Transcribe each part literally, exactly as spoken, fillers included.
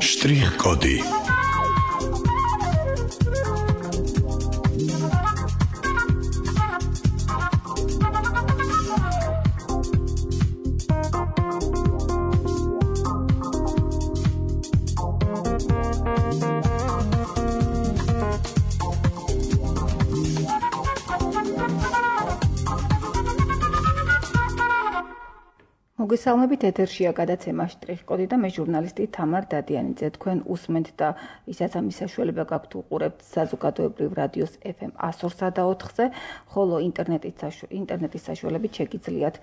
Շտրիխ-կոդի მოგესალმებით, ეთერშია გადაცემა შტრიხ-კოდი და მე ჟურნალისტი თამარ დადიანიძე. თქვენ უსმენთ და ვისაც ამის საშუალება გაქვთ უყურებთ საზოგადოებრივ რადიოს ეფ ემ one oh three point four-ზე, ხოლო ინტერნეტის საშუალებით შეგიძლიათ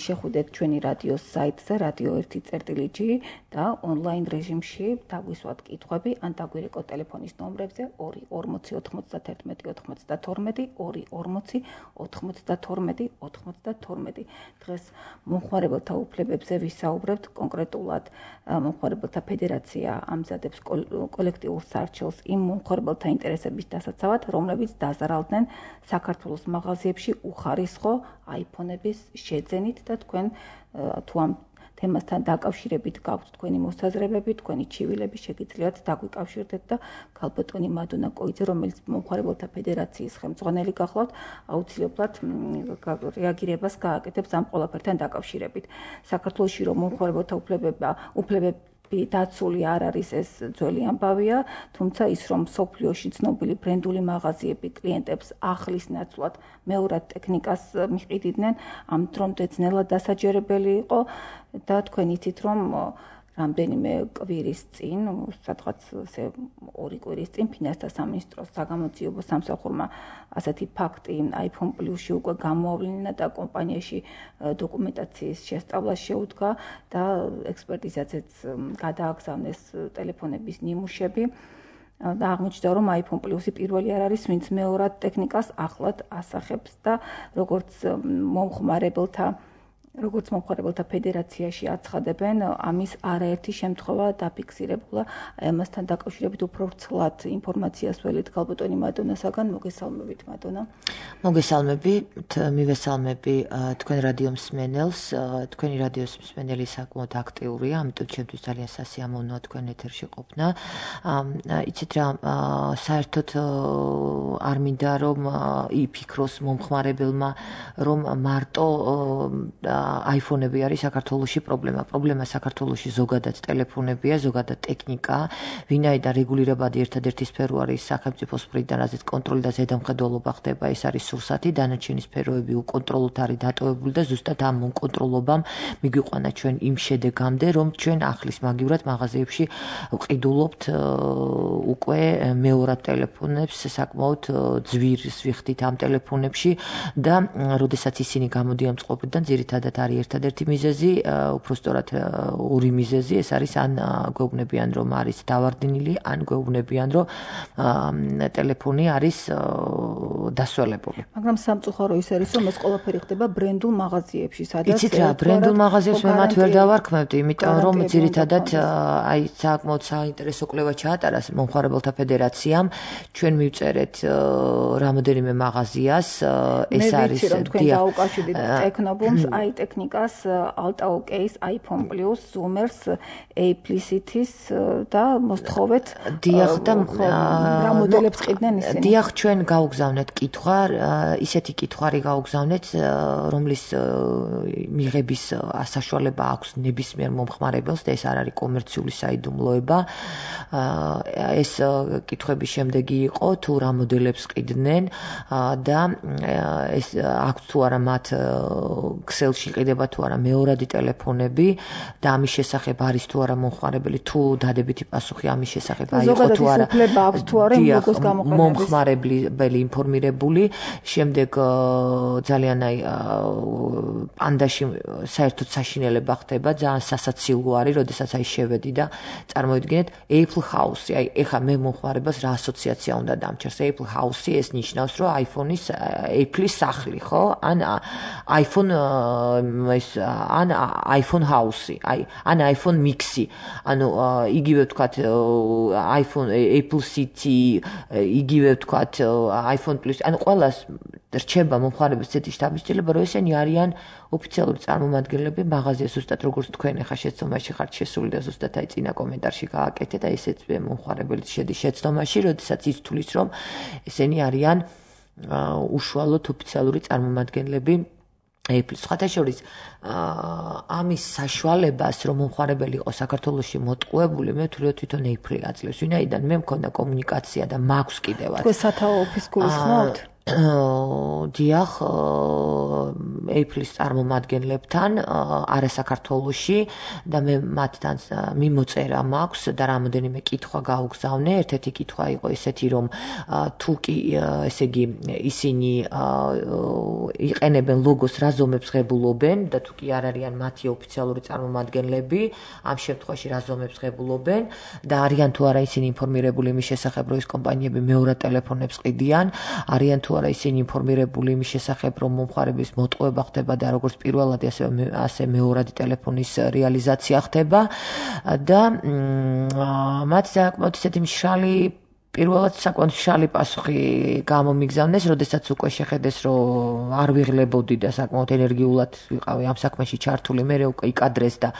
შეხვიდეთ ჩვენი რადიოს საიტზე რადიო one წერტილი ჯი და ონლაინ რეჟიმში დაგვისვათ კითხვები ან დაგვირეკოთ ტელეფონის ნომრებზე ორი ორმოცი ოთხმოცდაათერთმეტი ოცდათორმეტი ორი ორმოცი ოთხმოცდათორმეტი ოცდათორმეტი. დღეს მომხმარებელთა უფლებებზე ვისაუბრებთ, კონკრეტულად მომხმარებელთა ფედერაცია ამზადებს კოლექტიურ სარჩელს იმ მომხმარებელთა ინტერესების დასაცავად, რომლებიც დაზარალდნენ საქართველოს მაღაზიებში უხარისხო აიფონების შეძენით და თქვენ თუ ამ თემასთან დაკავშირებით გაქვთ თქვენი მოსაზრებები, თქვენი ჩივილები, შეგიძლიათ დაგვიკავშირდეთ და ქალბატონი მადონა კოიძე, რომელიც მომხმარებელთა ფედერაციის ხელმძღვანელი გახლავთ, აუცილებლად რეაგირებას გააკეთებს ამ ყველაფერთან დაკავშირებით. საქართველოში რომ მომხმარებელთა უფლებები დაცული არ არის, ეს ძველი ამბავია, თუმცა ის რომ მსოფლიოში ცნობილი ბრენდული მაღაზიები კლიენტებს ახლის ნაცვლად მეორად ტექნიკას მიყიდიდნენ, ამ დრომდე ძნელად დასაჯერებელი იყო და თქვენ იცით რომ რამდენიმე კვირის წინ, სადღაც ორი კვირის წინ ფინანსთა სამინისტროს საგამოძიებო სამსახურმა ასეთი ფაქტი iPhone Plus-ში უკვე გამოავლინა და კომპანიაში დოკუმენტაციის შესწავლა შეუდგა და ექსპერტიზაზეც გადააგზავნეს ტელეფონების ნიმუშები. და აღმოჩნდა რომ iPhone Plus-ი პირველი არ არის, ვინც მეორად ტექნიკას ახლად ასახებს და როგორც მომხმარებელთა როგორც მომხმარებელთა ფედერაციაში აცხადებენ, ამის არაერთი შემთხვევა დაფიქსირებულა. ამასთან დაკავშირებით უფრო ვრცლად ინფორმაციას ველით ქალბატონი მადონასაგან. მოგესალმებით, მადონა. მოგესალმებით, მივესალმები თქვენ რადიო მსმენელს. თქვენი რადიოს მსმენელი საკმაოდ აქტიურია, ამიტომ ჩემთვის ძალიან სასიამოვნოა თქვენ ეთერში ყოფნა. იცით რა, საერთოდ არ მინდა რომ იფიქროს მომხმარებელმა, რომ მარტო აიფონები არის საქართველოში პრობლემა. პრობლემა საქართველოში ზოგადად ტელეფონებია, ზოგადად ტექნიკა, ვინაიდან რეგულირებადი ერთადერთი სფერო არის სახელმწიფოს მხრიდან, რაზეც კონტროლი და ზედამხედველობა ხდება, ეს არის სურსათი, დანარჩენი სფეროები უკონტროლოდ არის დატოვებული და ზუსტად ამ კონტროლობამ მიგვიყვანა ჩვენ იმ შედეგამდე, რომ ჩვენ ახლის მაგივრად მაღაზიებში ვყიდულობთ უკვე მეორად ტელეფონებს, საკმაოდ ძვირს ვიხდით ამ ტელეფონებში და როდესაც ისინი გამოდიან წყობიდან, ძირითადად არის ერთადერთი მიზეზი, უფრო სწორად ორი მიზეზი, ეს არის ან გვეუბნებიან რომ არის დავარდნილი, ან გვეუბნებიან რომ ტელეფონი არის დასველებული. მაგრამ სამწუხარო ის არის რომ ეს ყველაფერი ხდება ბრენდულ მაღაზიებში, სადაც იცით რა, ბრენდულ მაღაზიებს მე მათ ვერ დავარქმევდი, იმიტომ რომ ძირითადად აი საკმაოდ საინტერესო კვლევა ჩაატარა მომხმარებელთა ფედერაციამ, ჩვენ მივწერეთ რამოდენიმე მაღაზიას, ეს არის თქვენ დაუკავშირდით ტექნობუმს, აი ტექნიკას, Altaok's, iPhone Plus, Zoomers, Aplicity-ს და მოსთხოვეთ დიახ და რა მოდელებს ყიდნენ ისინი. დიახ, ჩვენ გავგზავნეთ კითხვა, ისეთი კითხვარი გავგზავნეთ, რომლის მიღების საშუალება აქვს ნებისმიერ მომხმარებელს და ეს არ არის კომერციული საიდუმლოება. ეს კითხვების შემდეგი იყო თუ რა მოდელებს ყიდნენ და ეს აქვს თუ არა მათ ქსელში ყიდება თუ არა მეორადი ტელეფონები და ამის შესახებ არის თუ არა მომხმარებელი, თუ დადებითი პასუხი ამის შესახებ აიღო თუ არა. მომხმარებელი ინფორმირებული, შემდეგ ძალიან აი პანდაში საერთოდ საშინელება ხდება, ძალიან სასაცილო არის, როდესაც აი შევედი და წარმოიდგინეთ Apple House-ი, აი ეხა მე მომხმარებელს რა ასოციაცია უნდა დამჩერს. Apple House-ი ეს ნიშნავს, რომ iPhone-ის Apple-ის სახლი, ხო? ან iPhone ეს ან iPhone House-ი, აი ან iPhone Mix-ი. ანუ იგივე ვთქვათ iPhone Apple City, იგივე ვთქვათ iPhone Plus, ანუ ყველას რჩება მომხმარებლის ცეთის შთაბეჭდილება, რომ ესენი არიან ოფიციალური წარმომადგენლები მაღაზია ზუსტად როგორც თქვენ ახლა შეცდომაში ხართ შესული და ზუსტად აი წინა კომენტარში გააკეთეთ, აი ესეც მომხმარებელი შედის შეცდომაში, როდესაც ის თulis რომ ესენი არიან უშუალოდ ოფიციალური წარმომადგენლები Apple-ის. სხვათა შორის ამის საშუალებას რომ მომხმარებელი იყო საქართველოში მოტყუებული, მე ვთვლი რომ თვითონ Apple-ი აძლევს, ვინაიდან მე მქონდა კომუნიკაცია და მაქვს კიდევაც. თქვენ სათაო ოფისს გულისხმობთ? დიახ, Apple-ის წარმომადგენლებთან არასაქართლოში და მე მათთან მიმოწერა მაქვს და რამოდენიმე კითხვა გაუგზავნე. ერთ-ერთი კითხვა იყო ესეთი, რომ თუ კი ესე იგი ისინი იყენებენ ლოგოს რა ზომებს ღებულობენ და თუ კი არ არიან მათი ოფიციალური წარმომადგენლები, ამ შემთხვევაში რა ზომებს ღებულობენ და არიან თუ არა ისინი ინფორმირებული იმის შესახებ, რომ ეს კომპანიები მეორად ტელეფონებს ყიდიან, არიან თუ არა ისინი ინფორმირებული იმის შესახებ, რომ მომხმარებლის მოტყუება ხდება და როგორც პირველადი ასე ასე მეორადი ტელეფონის რეალიზაცია ხდება და მათ საკმაოდ ისეთი მშრალი პირველად საკმაოდ მშრალი პასუხი გამომიგზავნეს, როდესაც უკვე შეხედეს, რომ არ ვიღლებოდი და საკმაოდ ენერგიულად ვიყავი ამ საქმეში ჩართული, მე უკვე იკადრეს და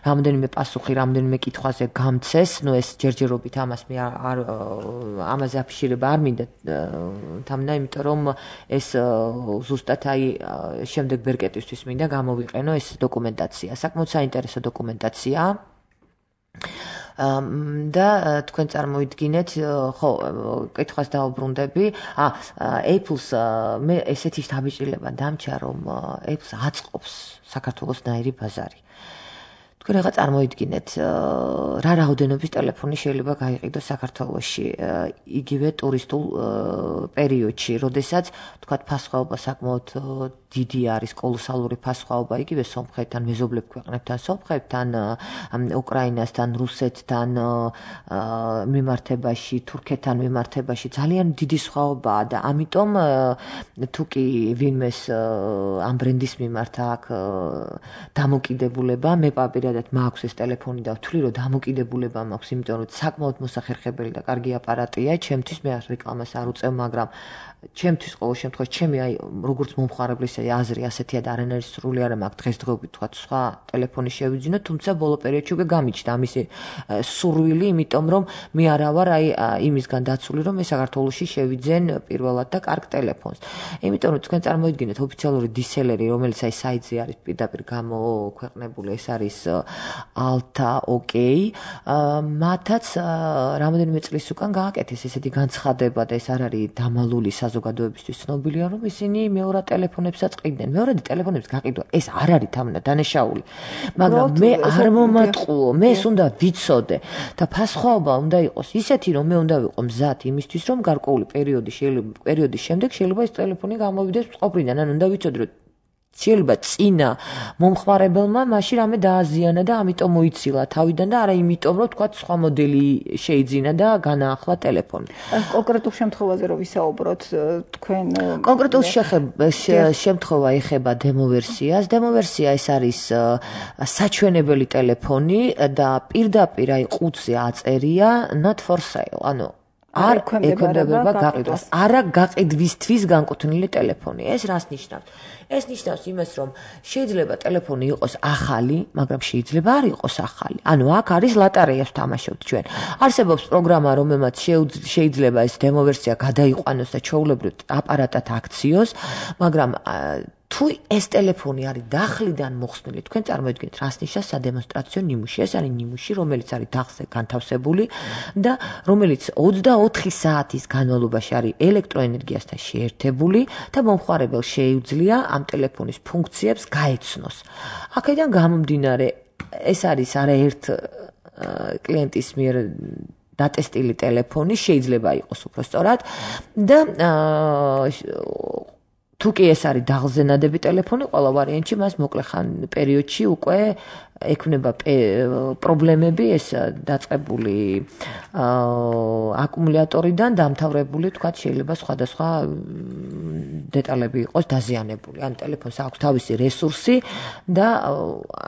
რამოდენიმე პასუხი, რამოდენიმე კითხვაზე გამცეს, ნუ ეს ჯერჯერობით ამას მე არ ამაზე აფიშირება არ მინდა თამნა, იმიტომ რომ ეს ზუსტად აი შემდეგ ბერკეტისთვის მინდა გამოვიყენო ეს დოკუმენტაცია. საკმაოდ საინტერესო დოკუმენტაციაა. და თქვენ წარმოიდგინეთ, ხო, კითხვას დაუბრუნდები. ა Apple-ს მე ესეთი შთაბეჭდილება დამჭა, რომ Apple-ს აწყობს საქართველოს ნაირი ბაზარი. თქვენ რა წარმოიდგინეთ, რა რაოდენობის ტელეფონი შეიძლება გაიყიდოს საქართველოში იგივე ტურისტულ პერიოდში, როდესაც თქვათ ფასხვაობა საკმაოდ დიდი არის, კოლოსალური ფასხვაობა იგივე სომხეთთან, მეზობლებ ქვეყნებთან, სომხეთთან, უკრაინასთან, რუსეთთან მიმართებაში, თურქეთთან მიმართებაში ძალიან დიდი სხვაობაა და ამიტომ თუ კი ვინმეს ამ ბრენდის მიმართ აქვს დამოკიდებულება, მე პირადად მაქვს ეს ტელეფონი და ვთვლი რომ დამოკიდებულება მაქვს, იმიტომ რომ საკმაოდ მოსახერხებელი და კარგი აპარატია, ჩემთვის მე რეკლამას არ უწევ, მაგრამ ჩემთვის ყოველ შემთხვევაში ჩემი აი როგორც მომხმარებლის აზრი ასეთია და არანაირი სრული არ მაქვს დღესდღეობით თქვა სხვა ტელეფონი შევიძინო, თუმცა ბოლო პერიოდში უკვე გამიჩნდა ამისი სურვილი, იმიტომ რომ მე არა ვარ აი იმისგან დაცული, რომ მე საქართველოში შევიძენ პირველად და კარგ ტელეფონს. იმიტომ რომ თქვენ წარმოიდგინეთ ოფიციალური დისელერი, რომელიც აი საიტზე არის პირდაპირ გამოქვეყნებული, ეს არის Alta OK, მათაც რამოდენიმე წლის უკან გააკეთეს ესეთი განცხადება და ეს არ არის დამალული საზოგადოებისთვის ცნობილია, რომ ისინი მეორად ტელეფონებსაც ყიდნენ. მეორადი ტელეფონებს გაყიდვა ეს არ არის თამნა დანაშაული. მაგრამ მე არ მომატყუო, მე ეს უნდა ვიცოდე და ფასხვაობა უნდა იყოს ისეთი, რომ მე უნდა ვიყო მზად იმისთვის, რომ გარკვეული პერიოდი შეიძლება პერიოდის შემდეგ შეიძლება ეს ტელეფონი გამოვიდეს წყობრიდან, ან უნდა ვიცოდე, რომ შეიძლება წინა მომხმარებელმა მაშინ რამე დააზიანა და ამიტომ მოიცილა თავიდან და არა იმიტომ რომ თქვა სხვა მოდელი შეიძინა და განაახლა ტელეფონი. კონკრეტულ შემთხვევაზე რომ ვისაუბროთ, თქვენ კონკრეტულ შემთხვევა ეხება დემო ვერსიას. დემო ვერსია ეს არის საჩვენებელი ტელეფონი და პირდაპირ აი ყუთზე აწერია not for sale, ანუ არ ექვემდებარება გაყიდვას. არა გაყიდვისთვის განკუთვნილი ტელეფონი. ეს რას ნიშნავს? ეს ნიშნავს იმას, რომ შეიძლება ტელეფონი იყოს ახალი, მაგრამ შეიძლება არ იყოს ახალი. ანუ აქ არის ლატარეას ვთამაშობთ ჩვენ. არსებობს პროგრამა, რომელმაც შეიძლება ეს დემო ვერსია გადაიყვანოს და ჩვეულებრივ აპარატად აქციოს, მაგრამ თუ ეს ტელეფონი არის დახლიდან მოხსნილი, თქვენ წარმოიდგინეთ, რას ნიშნავს სადემონსტრაციო ნიმუში. ეს არის ნიმუში, რომელიც არის დახლზე განთავსებული და რომელიც ოცდაოთხი საათის განმავლობაში არის ელექტროენერგიასთან შეერთებული და მომხმარებელს შეუძლია ამ ტელეფონის ფუნქციებს გაეცნოს. აქედან გამომდინარე, ეს არის არაერთ კლიენტის მიერ დატესტილი ტელეფონი, შეიძლება იყოს უფრო სწორად და თუ კი ეს არის დაღლზე ნადები ტელეფონი, ყველა ვარიანტში მას მოკლე ხან პერიოდში უკვე ექნება პრობლემები, ეს დაწყებული აკუმულატორიდან დამთავრებული, თქვათ, შეიძლება სხვადასხვა დეტალები იყოს დაზიანებული. ან ტელეფონს აქვს თავისი რესურსი და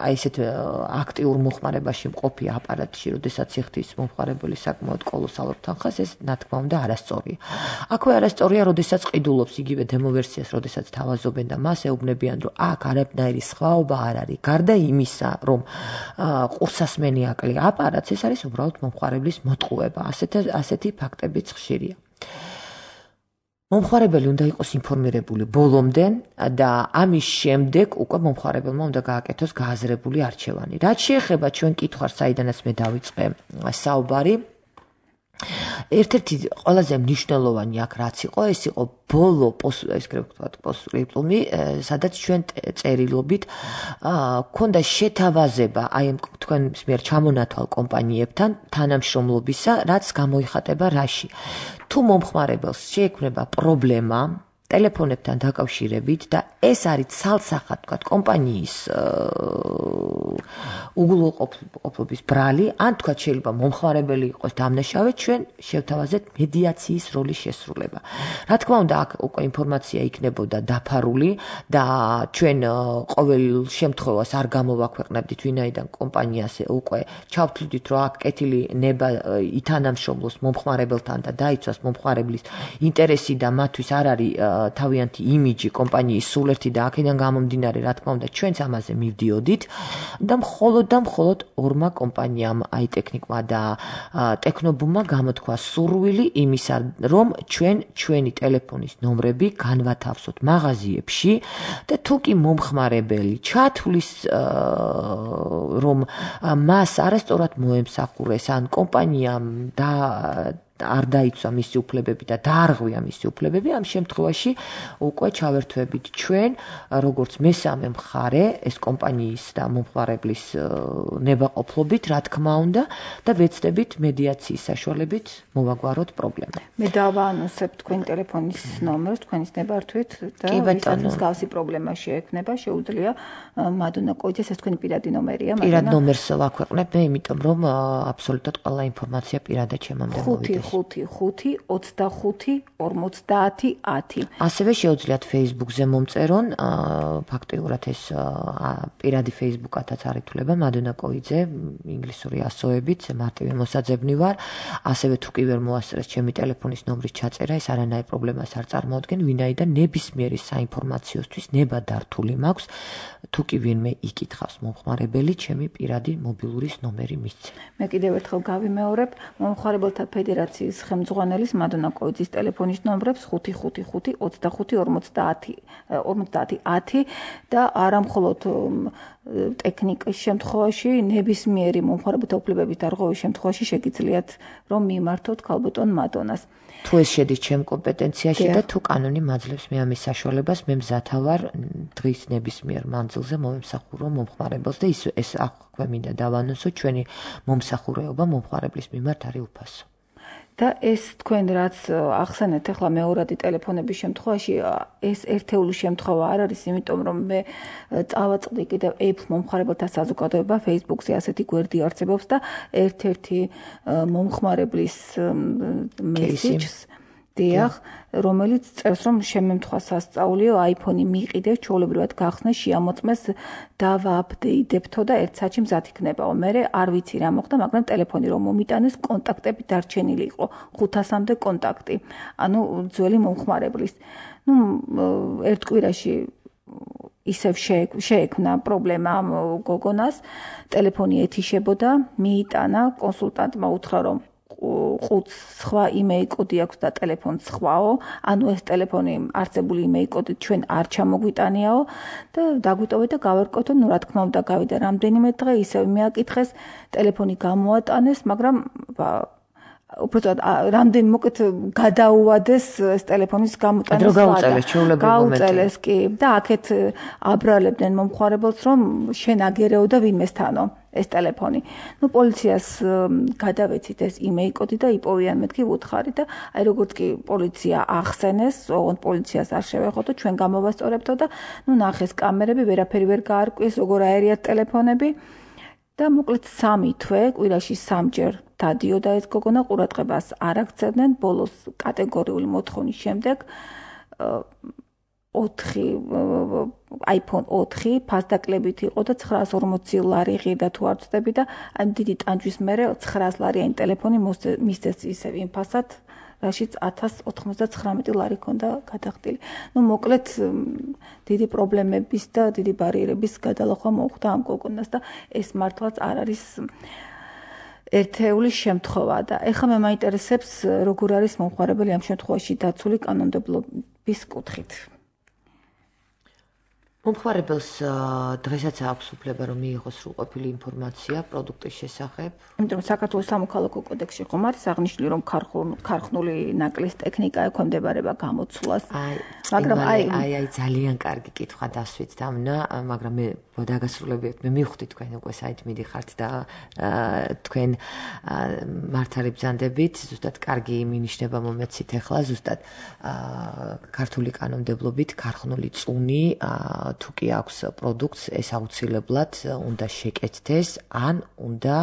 აი ესეთ აქტიურ მოხმარებაში მყოფი აპარატში, როდესაც იხდის მომხმარებელი საკმაოდ კოლოსალურ თანხას, ეს რა თქმა უნდა არასწორია. აქვე არასწორია, როდესაც ყიდულობს იგივე დემო ვერსიას, როდესაც თავაზობენ და მას ეუბნებიან, რომ აქ არაფერი სხვაობა არ არის. გარდა იმისა, რომ ყურსასმენი აკლია აპარატს, ეს არის უბრალოდ მომხმარებლის მოტყუება. ასეთი ასეთი ფაქტებიც ხშირია. მომხმარებელი უნდა იყოს ინფორმირებული ბოლომდე და ამის შემდეგ უკვე მომხმარებელმა უნდა გააკეთოს გააზრებული არჩევანი. რაც შეეხება ჩვენ კითხვას, საიდანაც მე დავიწყე საუბარი, ერთ-ერთი ყველაზე მნიშვნელოვანი აქ რაც იყო, ეს იყო ბოლო პოსტსკრიპტუმი, სადაც ჩვენ წერილობით ქონდა შეთავაზება აი ამ თქვენს მიერ ჩამონათვალ კომპანიებთან თანამშრომლობისა, რაც გამოიხატება რაში. თუ მომხმარებელს შეექმნება პრობლემა ტელეფონებთან დაკავშირებით და ეს არის ცალსახად, თქვათ, კომპანიის უგულოყოფლობის ბრალი, ან თქვათ შეიძლება მომხმარებელი იყოს დამნაშავე, ჩვენ შევთავაზეთ მედიაციის როლის შესრულება. რა თქმა უნდა, აქ უკვე ინფორმაცია იქნებოდა დაფარული და ჩვენ ყოველ შემთხვევას არ გამოვაქვეყნებდით, ვინაიდან კომპანიას უკვე ჩავთვლიდით, რომ აქ კეთილი ნება ითანამშრომლოს მომხმარებელთან და დაიცვას მომხმარებლის ინტერესი და მათთვის არ არის თავიანთი იმიჯი კომპანიის სულერთი და აქედან გამომდინარე, რა თქმა უნდა, ჩვენც ამაზე მივდიოდით და მხოლოდ და მხოლოდ ორმა კომპანიამ, აი ტექნიკმა და ტექნობუმმა გამოთქვა სურვილი იმისა, რომ ჩვენ ჩვენი ტელეფონის ნომრები განვათავსოთ მაღაზიებში და თუ კი მომხმარებელი ჩათვლის, რომ მას არასწორად მოემსახურეს, ან კომპანიამ და არ დაიცვა მისი უფლებები და დაარღვია მისი უფლებები, ამ შემთხვევაში უკვე ჩავერთვებით ჩვენ, როგორც მესამე მხარე, ეს კომპანიის და მომხმარებლის ნებაყოფლობით, რა თქმა უნდა, და ვეცდებით მედიაციის საშუალებით მოვაგვაროთ პრობლემა. მე დავაანონსებ თქვენი ტელეფონის ნომერს, თქვენის ნებართვით და ვისაც მსგავსი პრობლემა შეექმნება, შეუძლია მადონა კოიძეს, ეს თქვენი პირადი ნომერია, პირად ნომერს ვაქვეყნებ მე, იმიტომ რომ აბსოლუტურად ყველა ინფორმაცია პირადად ჩემამდე მოვიდეს. ხუთი ხუთი ოცდახუთი ორმოცდაათი ათი. ასევე შეუძლიათ Facebook-ზე მომწერონ, ფაქტიურად ეს პირადი Facebook-ათაც არ ითვლება, მადონა კოიძე, ინგლისური ასოებით, მარტივი მოსაძებნი ვარ. ასევე თუ კი ვერ მოასწრეს ჩემი ტელეფონის ნომრის ჩაწერა, ეს არანაირ პრობლემას არ წარმოადგენს, ვინაიდან ნებისმიერი საინფორმაციოსთვის ნება დართული მაქვს, თუ კი ვინმე იკითხავს მომხმარებელი, ჩემი პირადი მობილურის ნომერი მისცე. მე კიდევ ერთხელ გავიმეორებ, მომხმარებელთა ფედერაციის ხელმძღვანელის მადონა კოიძის ტელეფონის ნომრებს ხუთი ხუთი ხუთი ოცდახუთი ორმოცდაათი ორმოცდაათი ათი და არა მხოლოდ ტექნიკის შემთხვევაში, ნებისმიერი მომხმარებელთა უფლებების დარღვევის შემთხვევაში შეგიძლიათ რომ მიმართოთ ქალბატონ მადონას. თუ ეს შედის ჩემ კომპეტენციაში და თუ კანონი მაძლევს მე ამის საშუალებას, მე მზათა ვარ დღის ნებისმიერ მანძილზე მომსახურო მომხმარებელს და ის ეს აქვე მინდა დავანონსო, ჩვენი მომსახურეობა მომხმარებლის მიმართ არის უფასო. და ეს თქვენ რაც ახსენეთ ახლა მეორადი ტელეფონების შემთხვევაში, ეს ერთეული შემთხვევა არ არის, იმიტომ რომ მე წავაწყდი კიდევ Apple მომხმარებელთა საზოგადოება Facebook-ზე ასეთი გვერდი არსებობს და ერთ-ერთი მომხმარებლის მესიჯს დიახ, რომელიც წერს, რომ შემემთხვა სასწაულიო iPhone-ი მიყიდე, ჩვეულებრივად გახსნე, შეამოწმეს, დავააპდეიტებთო და ერთ საათში მზად იქნებაო. მე არ ვიცი რა მოხდა, მაგრამ ტელეფონი რომ მომიტანეს, კონტაქტები დარჩენილი იყო, ხუთასამდე კონტაქტი. ანუ ძველი მომხმარებლის. ნუ ერთ კვირაში ისევ შეექმნა პრობლემა ამ გოგონას, ტელეფონი ეთიშებოდა, მიიტანა, კონსულტანტმა უთხრა, რომ ხუთს სხვა იმეილ კოდი აქვს და ტელეფონს სხვაო, ანუ ეს ტელეფონი არსებული იმეილ კოდით ჩვენ არ ჩამოგვიტანიაო და დაგვიტოვეთ და გავერკოთო, ნუ რა თქმა უნდა გავიდა რამდენიმე დღე, ისევ მეაკითხეს, ტელეფონი გამოატანეს, მაგრამ უბრალოდ რამდენი მოკეთ გადაუვადეს ეს ტელეფონის გამოტანა გაუწელეს კი და აქეთ აბრალებდნენ მომხმარებელს, რომ შენ აგერეო და ვინმესთანო ეს ტელეფონი. ნუ პოლიციას გადავეცით ეს იმეილ კოდი და იპოვიან მეთქი ვუთხარი და აი როგორც კი პოლიცია ახსენეს, ოღონდ პოლიციას არ შევეხოთო, ჩვენ გამოვასწორებთო და ნუ ნახეს კამერები, ვერაფერი ვერ გაარკვიეს, როგორ აერიათ ტელეფონები. და მოკლედ სამი თვე კვირაში სამჯერ დადიოდა ეს გოგონა, ყურადღებას არ აქცევდნენ. ბოლოს კატეგორიული მოთხოვნის შემდეგ ოთხი iPhone ოთხი ფასდაკლებით იყო და ცხრაას ორმოცი ლარი ღირდა თუ არ ვწდები და ამ დიდი ტანჯვის მერე ცხრაას ლარიანი ტელეფონი მისცეს ისევ იმ ფასად, რაშიც ათას ოთხმოცდათხრამეტი ლარი ქონდა გადახდილი. ნუ მოკლედ დიდი პრობლემების და დიდი ბარიერების გადალახვა მოუხდა ამ გოგონას და ეს მართლაც არ არის ერთეული შემთხვევა და ეხლა მე მაინტერესებს როგორ არის მომხმარებელი ამ შემთხვევაში დაცული კანონმდებლობის კუთხით. მომხმარებელს დღესაც აქვს უფლება რომ მიიღოს სრულყოფილი ინფორმაცია პროდუქტის შესახებ. იმიტომ რომ საქართველოს სამოქალაქო კოდექსში ხომ არის აღნიშნული რომ ქარხნული ნაკლის ტექნიკა ექვემდებარება გამოცვლას. მაგრამ აი აი აი ძალიან კარგი კითხვა დასვით დამნა, მაგრამ მე დაგასრულებიათ მე მივხვდი თქვენ უკვე საით მიდიხართ და თქვენ მართალი ბრძანდებით, ზუსტად კარგი მინიშნება მომეცით ახლა ზუსტად ქართული კანონმდებლობით ქარხნული წუნი თუ კი აქვს პროდუქტს, ეს აუცილებლად უნდა შეკეთდეს, ან უნდა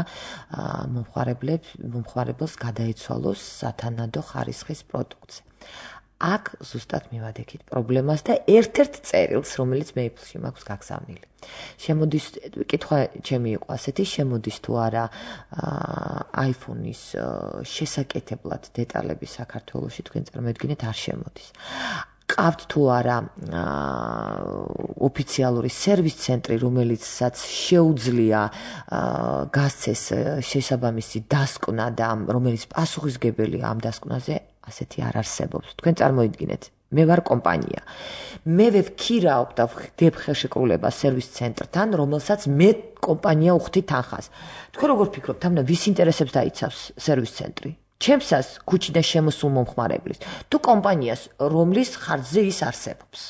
მომხმარებლებს მომხმარებელს გადაეცვალოს სათანადო ხარისხის პროდუქტზე. აქ ზუსტად მივადექით პრობლემას და ერთ-ერთ წერილს, რომელიც მეიფლში მაქვს გაგზავნილი. შემოდის კითხვა ჩემი იყო ასეთი, შემოდის თუ არა iPhone-ის შესაკეთებლად დეტალები საქართველოში, თქვენ წარმოედგინეთ, არ შემოდის. ყავთ თუ არა ოფიციალური სერვის ცენტრი, რომელიცაც შეუძლია გასცეს შესაბამისი დასკვნა და რომელიც პასუხისგებელია ამ დასკვნაზე, ასეთი არ არსებობს. თქვენ წარმოიდგინეთ, მე ვარ კომპანია. მე ვქირავ და ვხდებ ხელშეკრულებას სერვის ცენტრთან, რომელსაც მე კომპანია უხდი თანხას. თქვენ როგორ ფიქრობთ, ამნა ვის ინტერესებს დაიცავს სერვის ცენტრი? ჩემსას ქუჩიდან შემოსულ მომხმარებლის თუ კომპანიას, რომლის ხარჯზე ის არსებობს.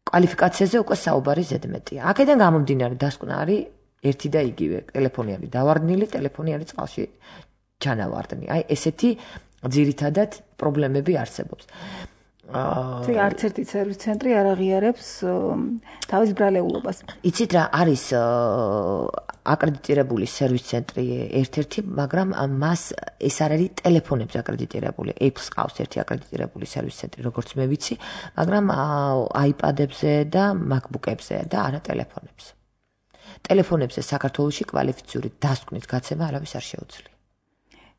კვალიფიკაციაზე უკვე საუბარი ზედმეტია. აქედან გამომდინარე დასკვნა არის ერთი და იგივე. ტელეფონი არის დავარდნილი, ტელეფონი არის წყალში ჩანავარდნი. აი ესეთი ძირითადად პრობლემები არსებობს. თუ არც ერთი სერვის ცენტრი არ აღიარებს თავის ბრალეულობას. იცით რა არის აკრედიტირებული სერვის ცენტრი ერთ-ერთი, მაგრამ მას ეს არ არის ტელეფონებზე აკრედიტირებული. Apple-ს ყავს ერთი აკრედიტირებული სერვის ცენტრი, როგორც მე ვიცი, მაგრამ iPad-ებზე და MacBook-ებზე და არა ტელეფონებზე. ტელეფონებზე საქართველოში კვალიფიციური დასკვნის გაცემა არავის არ შეუძლია.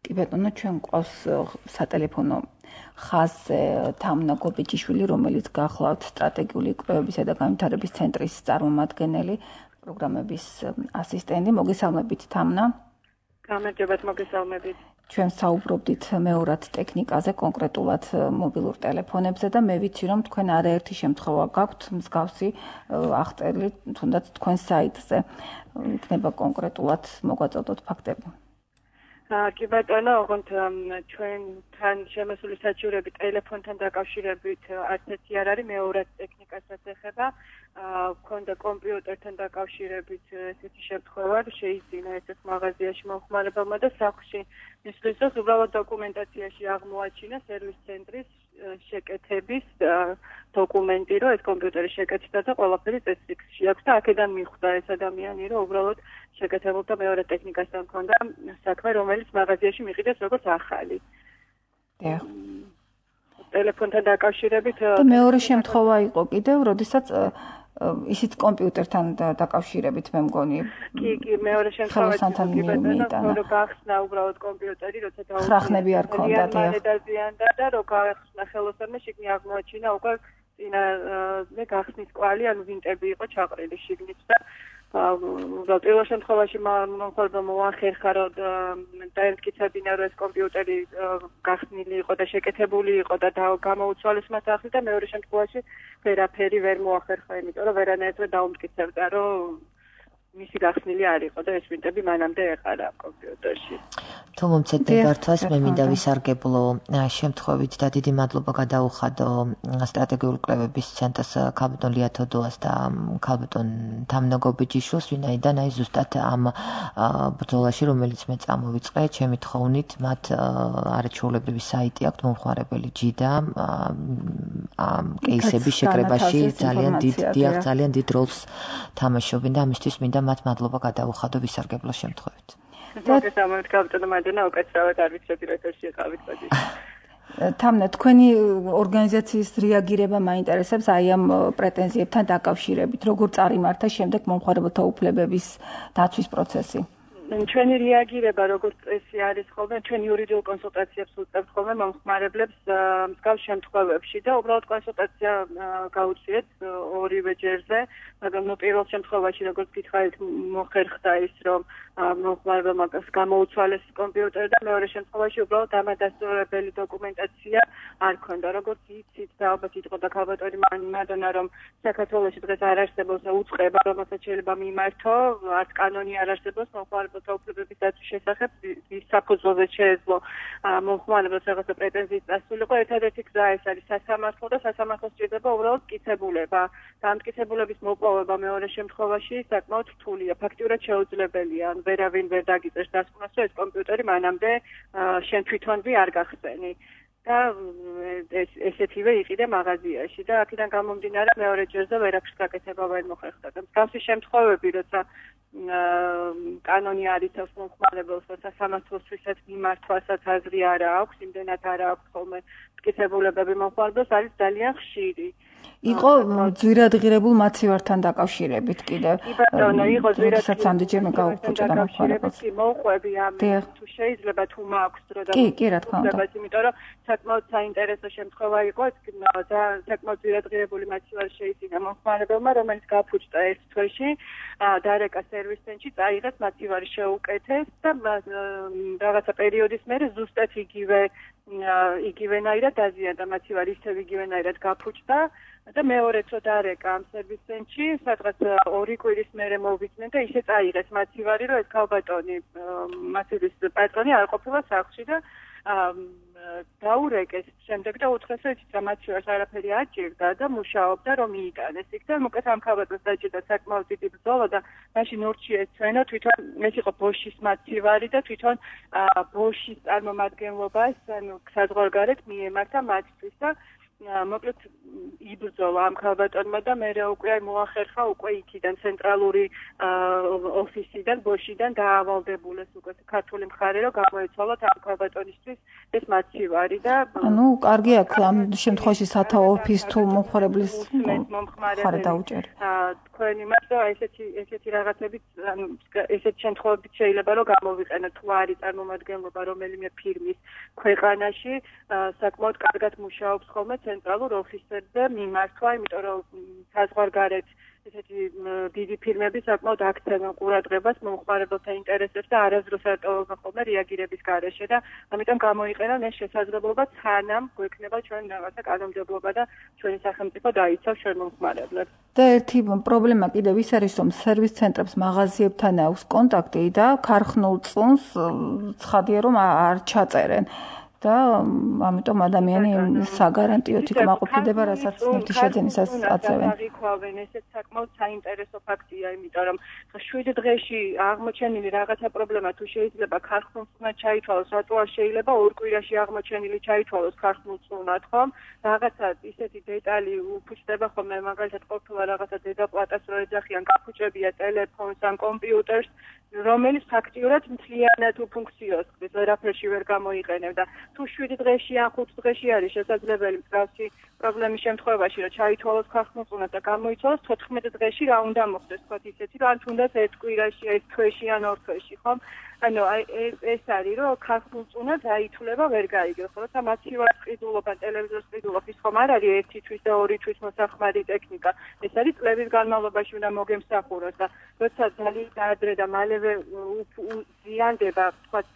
კი ბატონო, ჩვენ ყავს სატელეფონო ხაზზე თამნა გობიჯიშვილი, რომელიც გახლავთ სტრატეგიული კვლევებისა და განვითარების ცენტრის წარმომადგენელი, პროგრამების ასისტენტი. მოგესალმებით თამნა. გამარჯობათ, მოგესალმებით. ჩვენ საუბრობდით მეორად ტექნიკაზე, კონკრეტულად მობილურ ტელეფონებზე და მე ვიცი რომ თქვენ არაერთი შემთხვევა გაქვთ მსგავსი აღწერილი, თუნდაც თქვენ საიტზე. იქნება კონკრეტულად მოგვაწოდოთ ფაქტები. კი ბატონო, ოღონდ ჩვენთან შემოსული საჩივრები ტელეფონთან დაკავშირებით არც ერთი არ არის, მეორად ტექნიკასაც ეხება. ქონდა კომპიუტერთან დაკავშირებით ესეთი შემთხვევა, შეიძინა ესეთ მაღაზიაში მომხმარებელმა და სახლში მისვლის დროს უბრალოდ დოკუმენტაციაში აღმოაჩინა სერვის ცენტრის შეკეთების დოკუმენტი, რომ ეს კომპიუტერი შეკეთდა და ყველაფერი წესრიგში აქვს და აქედან მიხვდა ეს ადამიანი, რომ უბრალოდ შეკეთებულთა მეორე ტექნიკასთან ჰქონდა საქმე, რომელიც მაღაზიაში მიყიდეს როგორც ახალი. დიახ. ტელეფონთან დაკავშირებით და მეორე შემთხვევა იყო კიდევ, როდესაც ისიც კომპიუტერთან დაკავშირებით მე მგონი. კი, კი, მეორე შემთხვევა იყო, რომ გახსნა უბრალოდ კომპიუტერი, როცა დაუწყო. ხრახნები არ ქონდა, დიახ. დაზიანდა და რო გახსნა ხელოსანმა შიგნი აღმოაჩინა უკვე წინა მე გახსნის კვალი, ანუ ვინტები იყო ჩაყრილი შიგნით და უბრალოდ პირველ შემთხვევაში მომხმარებელმა მოახერხა, რომ დაემტკიცებინა, რომ ეს კომპიუტერი გახსნილი იყო და შეკეთებული იყო და გამოუცვალეს მას ახლა და მეორე შემთხვევაში ვერაფერი ვერ მოახერხა, იმიტომ რომ ვერანაირად დაუმტკიცებდა, რომ მისი გახსნილი არ იყო და ეს ვინტები მანამდე ეყარა კომპიუტერში. თუ მომცეთ ნებართვას მე მინდა ვისარგებლო შემთხვევით და დიდი მადლობა გადაუხადო სტრატეგიული კვლევების ცენტრს ქალბატონ ლია თოდოას და ქალბატონ თამნაგობი ჯიშვილს, ვინაიდან აი ზუსტად ამ ბრძოლაში, რომელიც მე წამოვიწყე, ჩემი თხოვნით მათ არაჩვეულებრივი საიტი აქვთ, მომხმარებელი ჯიდა ამ კეისების შეკრებაში ძალიან დიდ დიახ ძალიან დიდ როლს თამაშობენ და ამისთვის მინდა მათ მადლობა გადაუხადო ვისარგებლო შემთხვევით. მოგესალმებით ქალბატონო მადენა, უკეთესად არ ვიცოდი რა თქმა უნდა ყავით პოზიციაში. თამნა, თქვენი ორგანიზაციის რეაგირება მაინტერესებს აი ამ პრეტენზიებთან დაკავშირებით, როგორ წარიმართა შემდეგ მომხმარებელთა უფლებების დაცვის პროცესი? ჩვენი რეაგირება როგორც წესი არის ხოლმე, ჩვენ იურიდიულ კონსულტაციებს უწევთ ხოლმე მომხმარებლებს მსგავს შემთხვევებში და უბრალოდ კონსულტაცია გაუწიეთ ორივე ჯერზე, მაგრამ ნუ პირველ შემთხვევაში როგორც გითხარით მოხერხდა ის, რომ მომხმარებელმა გამოუცვალეს კომპიუტერი და მეორე შემთხვევაში უბრალოდ დამადასტურებელი დოკუმენტაცია არ ქონდა. როგორც იცით და ალბათ იტყოდა ქალბატონი მადონა, რომ საქართველოში დღეს არ არსებობს უწყება, რომელსაც შეიძლება მიმართო, არც კანონი არ არსებობს მომხმარებელთა უფლებების დაცვის შესახებ, ვის საფუძველზე შეეძლო მომხმარებელს რაღაცა პრეტენზიით დასულიყო. ერთადერთი გზა ეს არის სასამართლო და სასამართლოს სჭირდება უბრალოდ მტკიცებულება. და ამ მტკიცებულების მოპოვება მეორე შემთხვევაში საკმაოდ რთულია, ფაქტიურად შეუძლებელია. ვერავინ ვერ დაგიწერს დასკვნას, რომ ეს კომპიუტერი მანამდე შენ თვითონვე არ გახსენი. და ესეთივე იყიდე მაღაზიაში და აქედან გამომდინარე მეორე ჯერზე ვერაფერს გაკეთება ვერ მოხერხდა. და მსგავსი შემთხვევები, როცა კანონი არ იცავს მომხმარებელს, და სასამართლოსთვისაც მიმართვასაც აზრი არ აქვს, იმდენად არ აქვს ხოლმე მტკიცებულებები მომხმარებელს, არის ძალიან ხშირი. იყო ძვირადღირებულ მაცივართან დაკავშირებით კიდე. კი ბატონო, იყო ძვირადღირებულ ამდენჯერმე გაუხუჭდა მომხმარებელს. კი, მოუყვები ამ თუ შეიძლება თუ მაქვს დრო და კი, კი, რა თქმა უნდა. იმიტომ რომ საკმაოდ საინტერესო შემთხვევა იყო და საკმაოდ ძვირადღირებული მაცივარი შეიძინა მომხმარებელმა, რომელიც გაფუჭდა ერთ თვეში, დარეკა სერვის ცენტრში, წაიღეს მაცივარი შეუკეთეს და რაღაცა პერიოდის მერე ზუსტად იგივე იგივენაირად დაზიანდა მაცივარი, ისევ იგივენაირად გაფუჭდა და მეორეც რო დარეკა ამ სერვის ცენტრში, სადღაც ორი კვირის მერე მოვიდნენ და ისე წაიღეს მაცივარი, რომ ეს ქალბატონი მაცივის პატრონი არ ყოფილა სახლში და დაურეკეს შემდეგ და უთხრეს, რომ იცით რა მაცივარს არაფერი აჭირდა და მუშაობდა რომ მიიტანეს იქ და უკეთ ამ ქალბატონს დაჭირდა საკმაოდ დიდი ბრძოლა და მაშინ ურჩი ეცვენა თვითონ ეს იყო ბოშის მაცივარი და თვითონ ბოშის წარმომადგენლობას ანუ საზღვარგარეთ მიემართა მათთვის და მოკლედ იბრძოლა ამ ქალბატონმა და მერე უკვე მოახერხა უკვე იქიდან ცენტრალური ოფისიდან ბოშიდან დაავალდებულეს უკვე ქართული მხარე რომ გამოეცვალათ ამ ქალბატონისთვის ეს მაცივარი და ანუ კარგი აქ ამ შემთხვევაში სათავო ოფის თუ მომხმარებლის მხარე დაუჭერი თქვენი მაგრამ ესეთი ესეთი რაღაცებით ანუ ესეთი შემთხვევებით შეიძლება რომ გამოვიყენოთ თუ არის წარმომადგენლობა რომელიმე ფირმის ქვეყანაში საკმაოდ კარგად მუშაობს ხოლმე ცენტრალურ ოფისებზე მიმართვა, იმიტომ რომ საზღვარგარეთ ესეთი დიდი ფირმები საკმაოდ აქცევენ ყურადღებას მომხმარებელთა ინტერესებს და არასდროს არ ტოვებენ ხოლმე რეაგირების გარეშე და ამიტომ გამოიყენონ ეს შესაძლებლობა სანამ გვექნება ჩვენ რაღაცა კანონმდებლობა და ჩვენი სახელმწიფო დაიცავს ჩვენ მომხმარებლებს. და ერთი პრობლემა კიდევ ის არის, რომ სერვის ცენტრებს მაღაზიებთან აქვს კონტაქტი და ქარხნულ წონს ცხადია რომ არ ჩაწერენ. და ამიტომ ადამიანი საგარანტიოდ იქ რასაც ნივთი შეძენისას აწევენ. აღიქვავენ, ესეც საკმაოდ საინტერესო ფაქტია, იმიტომ რომ შვიდ დღეში აღმოჩენილი რაღაცა პრობლემა თუ შეიძლება ქარხნულ წუნად ჩაითვალოს, რატო არ შეიძლება ორ კვირაში აღმოჩენილი ჩაითვალოს ქარხნულ წუნად, ხომ? რაღაცა ისეთი დეტალი უფუჭდება ხოლმე, მაგალითად ყოფილა რაღაცა დედაპლატას რო ეძახიან, გაფუჭებია ტელეფონს ან კომპიუტერს, რომელიც ფაქტიურად მთლიანად უფუნქციოს, ვერაფერში ვერ გამოიყენებდა. თუ შვიდ დღეში ან ხუთ დღეში არის შესაძლებელი მსგავსი პრობლემის შემთხვევაში, რომ ჩაითვალოს ქარხნულ წუნად და გამოიცვალოს თოთხმეტ დღეში რა უნდა მოხდეს, თქვათ ისეთი, რომ ან თუნდაც ერთ კვირაში, ერთ თვეში ან ორ თვეში, ხომ? ანუ ეს არის, რომ ქარხნულ წუნად აითვლება ვერ გაიგებს, როცა მაცივარის ყიდულობა, ტელევიზორის ყიდულობა ის ხომ არ არის ერთი თვის და ორი თვის მოსახმარი ტექნიკა. ეს არის წლების განმავლობაში უნდა მოგემსახუროს და როცა ძალიან ადრე და მალევე ზიანდება, თქვათ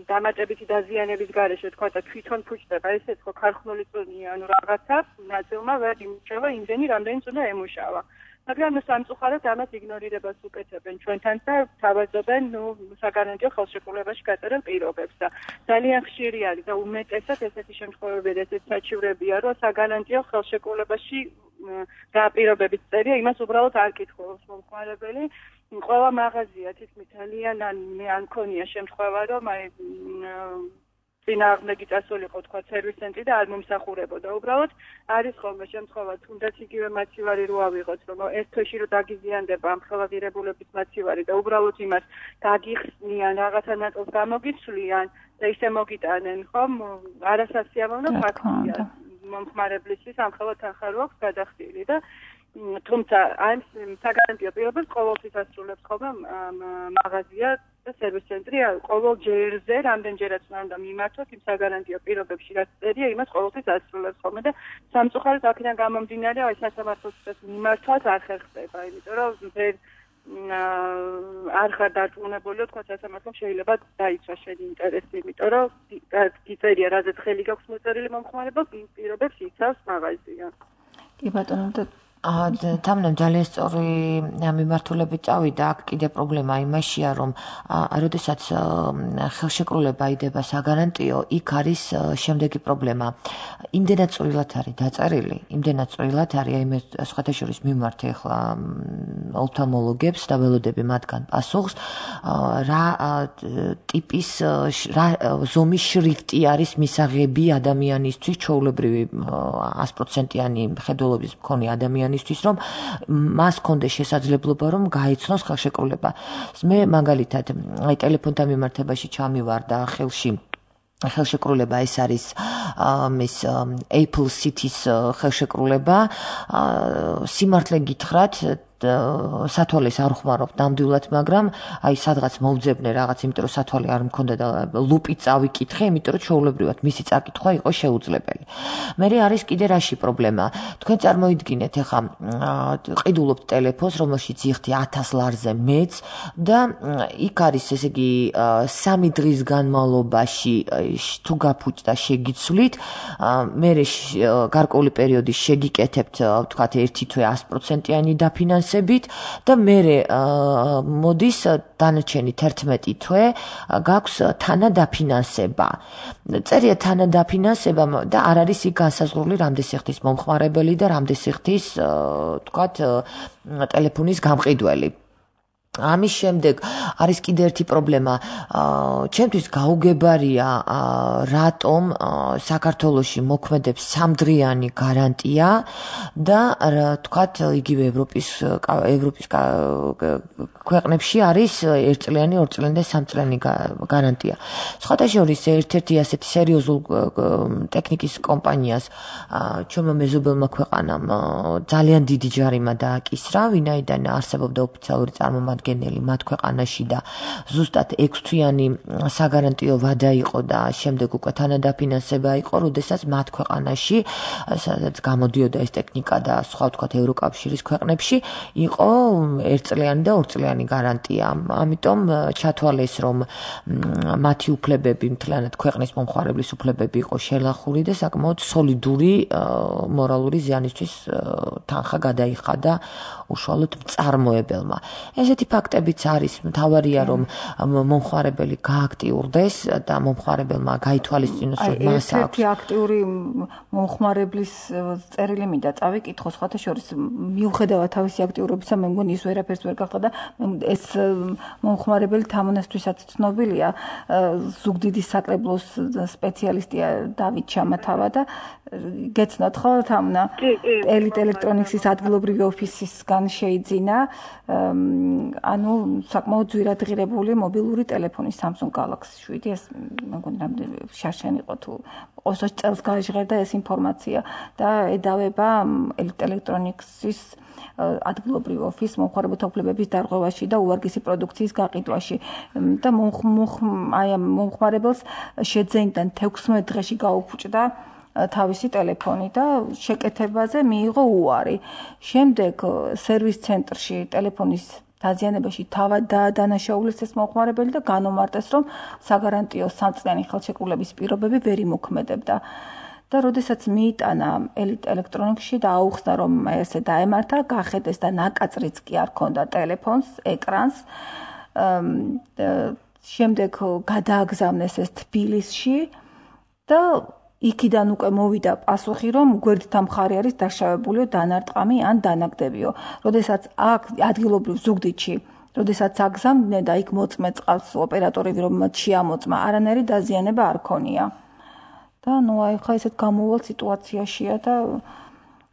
დამატებითი დაზიანების გარეშე თქვა და თვითონ ფუჭდება ესეც ხო ქარხნული წუნია ანუ რაღაცა ნაწილმა ვერ იმუშავა იმდენი რამდენი წუნა ემუშავა მაგრამ სამწუხაროდ ამას იგნორირებას უკეთებენ ჩვენთან და თავაზობენ ნუ საგარანტიო ხელშეკრულებაში გაწერილ პირობებს და ძალიან ხშირი არის და უმეტესად ესეთი შემთხვევები ესეთი საჩივრებია რომ საგარანტიო ხელშეკრულებაში გაპირობების წერია იმას უბრალოდ არ კითხულობს მომხმარებელი ყველა მაღაზია თითქმის ძალიან ან მე არ მქონია შემთხვევა რომ აი წინააღმდეგი წასულიყო თქვა სერვის ცენტრი და არ მომსახურებოდა უბრალოდ არის ხოლმე შემთხვევა თუნდაც იგივე მაცივარი რო ავიღოთ რომ ერთ თვეში რო დაგიზიანდება ამ ხელაღირებულების მაცივარი და უბრალოდ იმას გაგიხსნიან რაღაცა ნაწილს გამოგიცვლიან და ისე მოგიტანენ ხომ არასასიამოვნო ფაქტია მომხმარებლისთვის ამ ხელად ახარო აქვს გადახდილი და თუმცა ამ საგარანტიო პირობებს ყოველთვის ასრულებს ხოლმე მაღაზია და სერვის ცენტრი ყოველ ჯერზე რამდენჯერაც უნდა მიმართოს იმ საგარანტიო პირობებში რაც წერია იმას ყოველთვის ასრულებს ხოლმე და სამწუხაროდ აქედან გამომდინარე აი სასამართლოს მიმართვაც არ ხერხდება იმიტომ რომ ვერ არ ხარ დარწმუნებული თქვა სასამართლომ შეიძლება დაიცვა შენი ინტერესი იმიტომ რომ გიწერია რაზეც ხელი გაქვს მოწერილი მომხმარებელს იმ პირობებს იცავს მაღაზია კი ბატონო და თამნამ ძალიან სწორი მიმართულებით წავიდა აქ კიდე პრობლემა იმაშია რომ როდესაც ხელშეკრულება იდება საგარანტიო იქ არის შემდეგი პრობლემა იმდენად წვრილად არის დაწერილი იმდენად წვრილად არის აი მე სხვათა შორის მიმართე ახლა ოფთალმოლოგებს და ველოდები მათგან პასუხს რა ტიპის რა ზომის შრიფტი არის მისაღები ადამიანისთვის ჩვეულებრივი sto პროცენტიანი ხედველობის მქონე ადამიანი ისთვის რომ მას კონდეს შესაძლებლობა რომ გაიცნოს ხელშეკრულება. მე მაგალითად აი ტელეფონთან მიმართებაში ჩამივარ და ხელში ხელშეკრულება ეს არის მის Apple City-ს ხელშეკრულება სიმართლე გითხრათ სათვალეს არ ხმარობ ნამდვილად, მაგრამ აი სადღაც მოვძებნე რაღაც, იმიტომ რომ სათვალე არ მქონდა და ლუპით წავიკითხე, იმიტომ რომ ჩვეულებრივად მისი წაკითხვა იყო შეუძლებელი. მე არის კიდე რაში პრობლემა. თქვენ წარმოიდგინეთ, ეხა ყიდულობთ ტელეფონს, რომელშიც იხდი ათას ლარზე მეც და იქ არის ესე იგი სამი დღის განმავლობაში თუ გაფუჭდა შეგიცვლით, მე გარკვეული პერიოდის შეგიკეთებთ, ვთქვათ, ერთი თვე sto პროცენტიანი დაფინანსებით და მე მოდის დანარჩენი თერთმეტი თვე გაქვს თანადაფინანსება. წერია თანადაფინანსება და არ არის იქ განსაზღვრული რამდენ სიხდის მომხმარებელი და რამდენ სიხდის ვთქვათ ტელეფონის გამყიდველი. ამის შემდეგ არის კიდე ერთი პრობლემა. ჩემთვის გაუგებარია რატომ საქართველოში მოქმედებს სამდღიანი გარანტია და თქვათ იგივე ევროპის ევროპის ქვეყნებში არის ერთწლიანი, ორწლიანი და სამწლიანი გარანტია. სხვათა შორის ერთ-ერთი ასეთი სერიოზულ ტექნიკის კომპანიას ჩვენმა მეზობელმა ქვეყანამ ძალიან დიდი ჯარიმა დააკისრა, ვინაიდან არსებობდა ოფიციალური წარმომადგენელი მათ ქვეყანაში და ზუსტად ექვს თვიანი საგარანტიო ვადა იყო და შემდეგ უკვე თანადაფინანსება იყო, როდესაც მათ ქვეყანაში სადაც გამოდიოდა ეს ტექნიკა და სხვა ვთქვათ ევროკავშირის ქვეყნებში იყო ერთწლიანი და ორწლიანი გარანტია. ამიტომ ჩათვალეს რომ მათი უფლებები მთლიანად ქვეყნის მომხმარებლის უფლებები იყო შელახული და საკმაოდ სოლიდური მორალური ზიანისთვის თანხა გადაიხადა უშუალოდ მწარმოებელმა. ესეთი ფაქტებიც არის, მთავარია რომ მომხმარებელი გააქტიურდეს და მომხმარებელმა გაითვალისწინოს რომ მას აქვს. ერთი აქტიური მომხმარებლის წერილი მინდა წავიკითხო, სხვათა შორის მიუხედავად თავისი აქტიურობისა, მე მგონი ის ვერაფერს ვერ გახდა და ეს მომხმარებელი თამონასთვისაც ცნობილია, ზუგდიდის საკრებულოს სპეციალისტია დავით ჩამათავა და გეცნოთ ხო თამნა ელიტ ელექტრონიქსის ადგილობრივი ოფისისგან შეიძინა ანუ საკმაოდ ძვირად ღირებული მობილური ტელეფონი Samsung Galaxy შვიდი ეს მეგონი რამდენი შარშანი იყო თუ ოცდაოთხ წელს გაჟღერდა ეს ინფორმაცია და ედავება ელიტ ელექტრონიქსის ადგილობრივი ოფის მომხმარებელთა უფლებების დარღვევაში და უვარგისი პროდუქციის გაყიდვაში და აი მომხმარებელს შეძენიდან თექვსმეტ დღეში გაუფუჭდა თავისი ტელეფონი და შეკეთებაზე მიიღო უარი. შემდეგ სერვის ცენტრში ტელეფონის დაზიანებაში თავად დაადანაშაულეს ეს მომხმარებელი და განომარტეს, რომ საგარანტიო სამწლიანი ხელშეკრულების პირობები ვერ იმოქმედებდა. და როდესაც მიიტანა ელიტ ელექტრონიკში და აუხსნა რომ ესე დაემართა, გახედეს და ნაკაწრიც კი არ ქონდა ტელეფონს, ეკრანს. შემდეგ გადააგზავნეს ეს თბილისში და იქიდან უკვე მოვიდა პასუხი, რომ გვერდთა მხარე არის დაშავებული დანარტყამი ან დანაგდებიო. როდესაც აქ ადგილობრივ ზუგდიდში, როდესაც აგზავნდნენ და იქ მოწმე წყალს ოპერატორები რომ შეამოწმა, არანაირი დაზიანება არ ქონია. და ნუ აი ხა ესეთ გამოვალ სიტუაციაშია და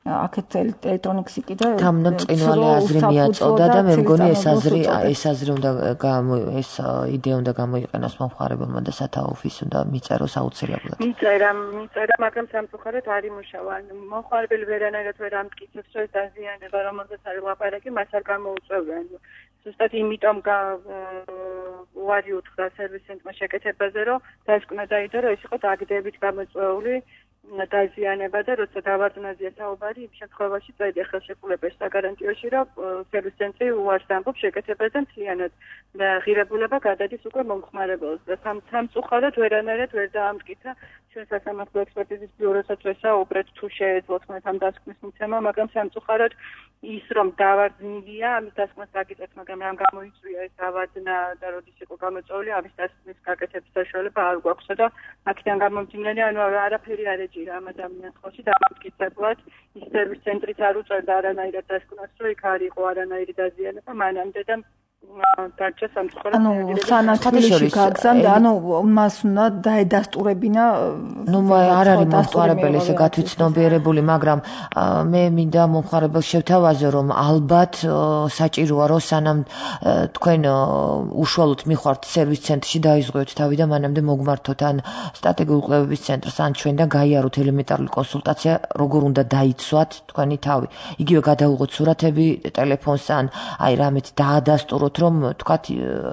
აქეთ ელექტრონიკსი კიდე თამნა წინვალე აზრი მიაწოდა და მე მგონი ეს აზრი ეს აზრი უნდა ეს იდეა უნდა გამოიყენოს მომხმარებელმა და სათავო ოფისს უნდა მიწეროს აუცილებლად. მიწერა, მიწერა, მაგრამ სამწუხაროდ არ იმუშავა. მომხმარებელი ვერანაირად ვერ ამტკიცებს, რომ დაზიანება რომელზეც არის ლაპარაკი, მას არ გამოუწევენ. ზუსტად იმიტომ უარი უთხრა სერვის ცენტრმა შეკეთებაზე, რომ დასკვნა დაიდო, რომ ეს იყო დაგდებით გამოწვეული დაზიანება და როცა დავარდნაზია საუბარი, იმ შემთხვევაში წაიდე ხელშეკრულებაში საგარანტიოში, რომ სერვის ცენტრი უარს ამბობს შეკეთებაზე მთლიანად ღირებულება გადადის უკვე მომხმარებელს და სამწუხაროდ ვერანაირად ვერ დაამტკიცა ჩვენ სასამართლო ექსპერტიზის ბიუროსაც ვესაუბრეთ თუ შეეძლოთ მათ ამ დასკვნის მიცემა, მაგრამ სამწუხაროდ ის რომ დავარდნილია, ამის დასკვნას გაგიწევთ, მაგრამ რამ გამოიწვია ეს დავარდნა და როდის იყო გამოწვეული, ამის დასკვნის გაკეთების საშუალება არ გვაქვსა და აქედან გამომდინარე, ანუ არაფერი არ ეჭირა ამ ადამიანს ხელში დამამტკიცებლად, ის სერვის ცენტრიც არ უწევდა არანაირად დასკვნას, რომ იქ არ იყო არანაირი დაზიანება მანამდე და დარჩა სამწუხაროდ. ანუ სანათლისში გაგზავნა, ანუ მას უნდა დაედასტურებინა. ნუ არ არის მომხმარებელი ესე გათვითცნობიერებული, მაგრამ მე მინდა მომხმარებელს შევთავაზო, რომ ალბათ საჭიროა, რომ სანამ თქვენ უშუალოდ მიხართ სერვის ცენტრში დაიზღვიოთ თავი და მანამდე მოგმართოთ ან სტრატეგიული კვლევების ცენტრს, ან ჩვენ და გაიაროთ ელემენტარული კონსულტაცია, როგორ უნდა დაიცვათ თქვენი თავი. იგივე გადაუღოთ სურათები ტელეფონს ან აი რამეთ დაადასტუროთ, რომ თქვათ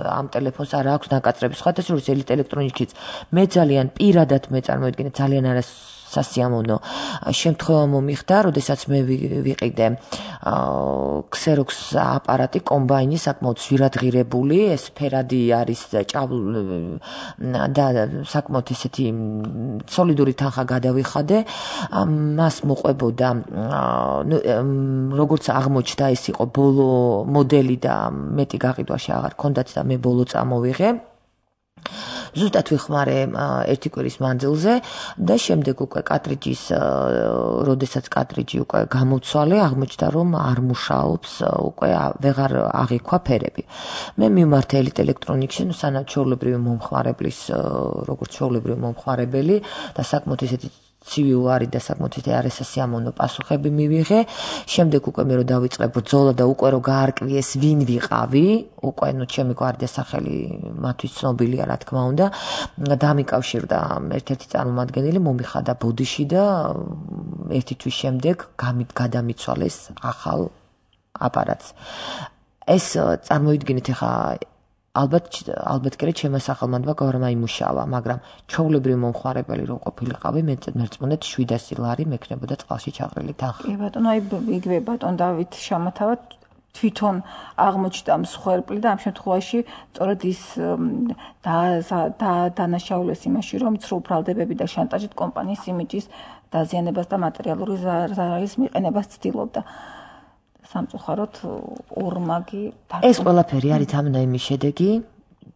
ამ ტელეფონს არ აქვს ნაკაწრები. სხვათა შორის ელიტ ელექტრონიკშიც მე ძალიან პირადად მე წარმოიდგინე ძალიან არასასიამოვნო შემთხვევა მომიხდა, როდესაც მე ვიყიდე ქსეროქს აპარატი კომბაინი საკმაოდ ძვირადღირებული, ეს ფერადი არის და საკმაოდ ესეთი სოლიდური თანხა გადავიხადე, მას მოყვებოდა როგორც აღმოჩნდა ეს იყო ბოლო მოდელი და მეტი გაყიდვაში აღარ ქონდათ და მე ბოლო წამოვიღე. ზუსტად ვიხმარე ერთი კვირის მანძილზე და შემდეგ უკვე კარტრიჯის როდესაც კარტრიჯი უკვე გამოცვალე, აღმოჩნდა რომ არ მუშაობს, უკვე ვეღარ აღიქვა ფერები. მე მივმართე ელიტ ელექტრონიკში, ნუ სანამ ჩვეულებრივი მომხმარებლის როგორც ჩვეულებრივი მომხმარებელი და საკმაოდ ესეთი ცივი უარი და საკმაოდ არასასიამოვნო პასუხები მივიღე. შემდეგ უკვე მე რო დავიწყე ბრძოლა და უკვე რო გაარკვიეს ვინ ვიყავი, უკვე ნუ ჩემი გვარი და სახელი მათთვის ცნობილია, რა თქმა უნდა, დამიკავშირდა ერთ-ერთი წარმომადგენელი, მომიხადა ბოდიში და ერთი თვის შემდეგ გადამიცვალეს ახალ აპარატს. ეს წარმოიდგინეთ ახლა ალბათ ალბათ კი ჩემო სახელმანდმა გამაიმუშავა, მაგრამ ჩვეულებრივი მომხმარებელი რო ყოფილიყავი, მე მერწმუნეთ შვიდასი ლარი მექნებოდა წყალში ჩაყრილი თანხა. კი ბატონო, აი იგივე ბატონ დავით შამათავად თვითონ აღმოჩნდა მსხვერპლი და ამ შემთხვევაში სწორედ ის დანაშაულეს იმაში, რომ ცრუ ბრალდებები და შანტაჟით კომპანიის იმიჯის დაზიანებას და მატერიალური ზარალის მიყენებას ცდილობდა. სამწუხაროდ ორმაგი ეს ყველაფერი არის თამნაიმის შედეგი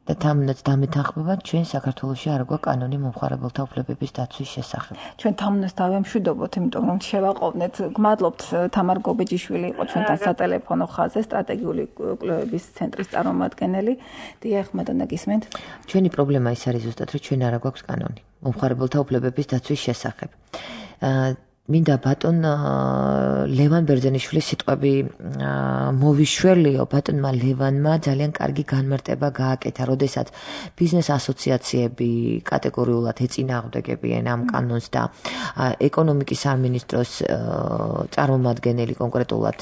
და თამნაც დამეთანხმება ჩვენ საქართველოში არ გვაქვს კანონი მომხმარებელთა უფლებების დაცვის შესახებ. ჩვენ თამნას დავემშვიდობოთ, იმიტომ რომ შევაყოვნეთ. გმადლობთ თამარ გობეჯიშვილი იყო ჩვენთან სატელეფონო ხაზზე, სტრატეგიული კვლევების ცენტრის წარმომადგენელი. დიახ, მადონა გისმენთ. ჩვენი პრობლემა ის არის ზუსტად, რომ ჩვენ არ გვაქვს კანონი მომხმარებელთა უფლებების დაცვის შესახებ. მინდა ბატონ ლევან ბერძენიშვილის სიტყვები მოვიშველიო. ბატონმა ლევანმა ძალიან კარგი განმარტება გააკეთა, როდესაც ბიზნეს ასოციაციები კატეგორიულად ეწინააღმდეგებიან ამ კანონს და ეკონომიკის სამინისტროს წარმომადგენელი კონკრეტულად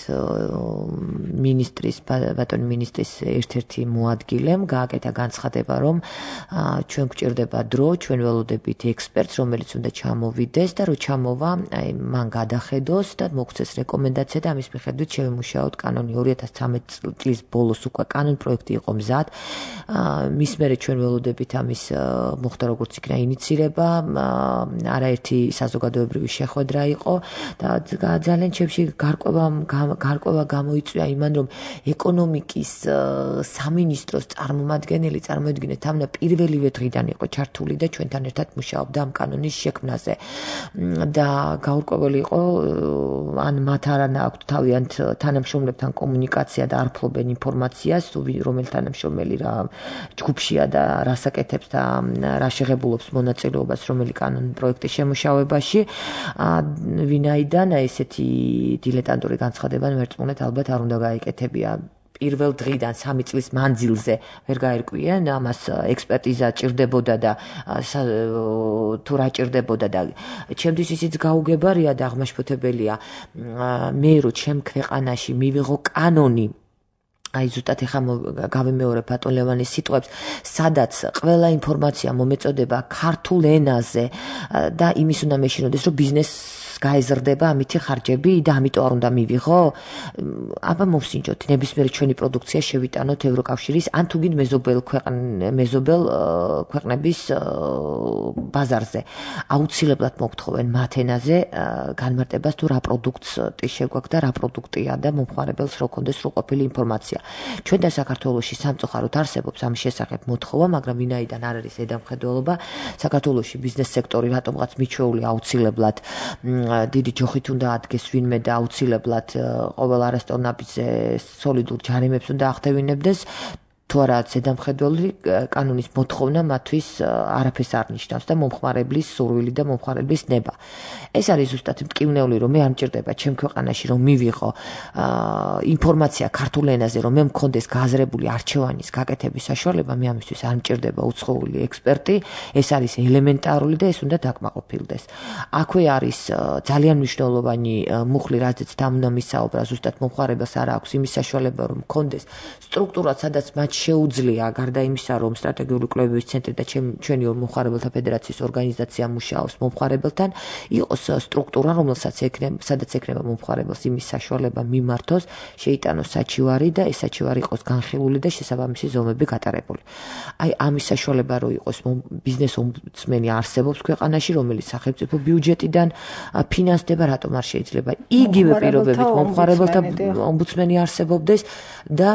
მინისტრის ბატონ მინისტრის ერთ-ერთი მოადგილემ გააკეთა განცხადება, რომ ჩვენ გვჭირდება დრო, ჩვენ ველოდებით ექსპერტს, რომელიც უნდა ჩამოვიდეს და რო ჩამოვა მან გადახედოს და მოგცეს რეკომენდაცია და ამის მიხედვით შევიმუშაოთ კანონი ორი ათას ცხრამეტ წლის ბოლოს უკვე კანონ პროექტი იყო მზად. მის მერე ჩვენ ველოდებით ამის მოხდა როგორც იქნა ინიცირება, არაერთი საზოგადოებრივი შეხვედრა იყო და ძალიან ჩემში გარკვევა გარკვევა გამოიწვია იმან, რომ ეკონომიკის სამინისტროს წარმომადგენელი წარმოედგინეთ თავნა პირველივე დღიდან იყო ჩართული და ჩვენთან ერთად მუშაობდა ამ კანონის შექმნაზე. და გაურკვეველი იყო ან მათ არ აქვთ თავიანთ თანამშრომლებთან კომუნიკაცია და არ ფლობენ ინფორმაციას, რომელი თანამშრომელი რა ჯგუფშია და რას აკეთებს და რა შეღებულობს მონაწილეობას რომელი კანონის პროექტის შემუშავებაში. ვინაიდან ესეთი დილეტანტური განცხადება ვერწმუნეთ ალბათ არ უნდა გაეკეთებია. პირველ დღიდან სამი წლის მანძილზე ვერ გაერკვიან, ამას ექსპერტიზა ჭირდებოდა და თუ რა ჭირდებოდა და ჩემთვის ისიც გაუგებარია და აღმაშფოთებელია მე რო ჩემ ქვეყანაში მივიღო კანონი აი ზუსტად ეხა გავიმეორებ ბატონ ლევანის სიტყვებს, სადაც ყველა ინფორმაცია მომეწოდება ქართულ ენაზე და იმის უნდა მეშინოდეს, რომ ბიზნესს გაეზრდება ამითი ხარჯები და ამიტომ არ უნდა მივიღო. აბა მოვსინჯოთ, ნებისმიერი ჩვენი პროდუქცია შევიტანოთ ევროკავშირის ან თუ გინდ მეზობელ მეზობელ ქვეყნების ბაზარზე. აუცილებლად მოგთხოვენ მათ ენაზე განმარტებას თუ რა პროდუქტი შეგვაქვს და რა პროდუქტია და მომხმარებელს რო კონდეს სრულყოფილი ინფორმაცია. ჩვენ და საქართველოში სამწუხაროდ არსებობს ამ შესახებ მოთხოვა, მაგრამ ვინაიდან არ არის ზედამხედველობა, საქართველოში ბიზნეს სექტორი რატომღაც მიჩვეული აუცილებლად დიდი ჯოხით უნდა ადგეს ვინმე და აუცილებლად ყოველ არასწორ ნაბიჯზე სოლიდურ ჯარიმებს უნდა ახდევინებდეს. თუ არა ზედამხედველი კანონის მოთხოვნა მათთვის არაფერს არ ნიშნავს და მომხმარებლის სურვილი და მომხმარებლის ნება. ეს არის ზუსტად მტკივნეული, რომ მე არ მჭირდება ჩემ ქვეყანაში რომ მივიღო ინფორმაცია ქართულ ენაზე, რომ მე მქონდეს გააზრებული არჩევანის გაკეთების საშუალება, მე ამისთვის არ მჭირდება უცხოური ექსპერტი, ეს არის ელემენტარული და ეს უნდა დაკმაყოფილდეს. აქვე არის ძალიან მნიშვნელოვანი მუხლი, რაზეც დამნა მისაუბრა, ზუსტად მომხმარებელს არ აქვს იმის საშუალება, რომ მქონდეს სტრუქტურა, სადაც მათ შეუძლია გარდა იმისა, რომ სტრატეგიული კვლევების ცენტრი და ჩვენი მომხმარებელთა ფედერაციის ორგანიზაცია მუშაობს მომხმარებელთან, იყოს სტრუქტურა, რომელსაც ექნება, სადაც ექნება მომხმარებელს იმის საშუალება მიმართოს, შეიტანოს საჩივარი და ეს საჩივარი იყოს განხილული და შესაბამისი ზომები გატარებული. აი ამის საშუალება რო იყოს ბიზნეს ომბუდსმენი არსებობს ქვეყანაში, რომელიც სახელმწიფო ბიუჯეტიდან ფინანსდება, რატომ არ შეიძლება იგივე პირობებით მომხმარებელთა ომბუდსმენი არსებობდეს და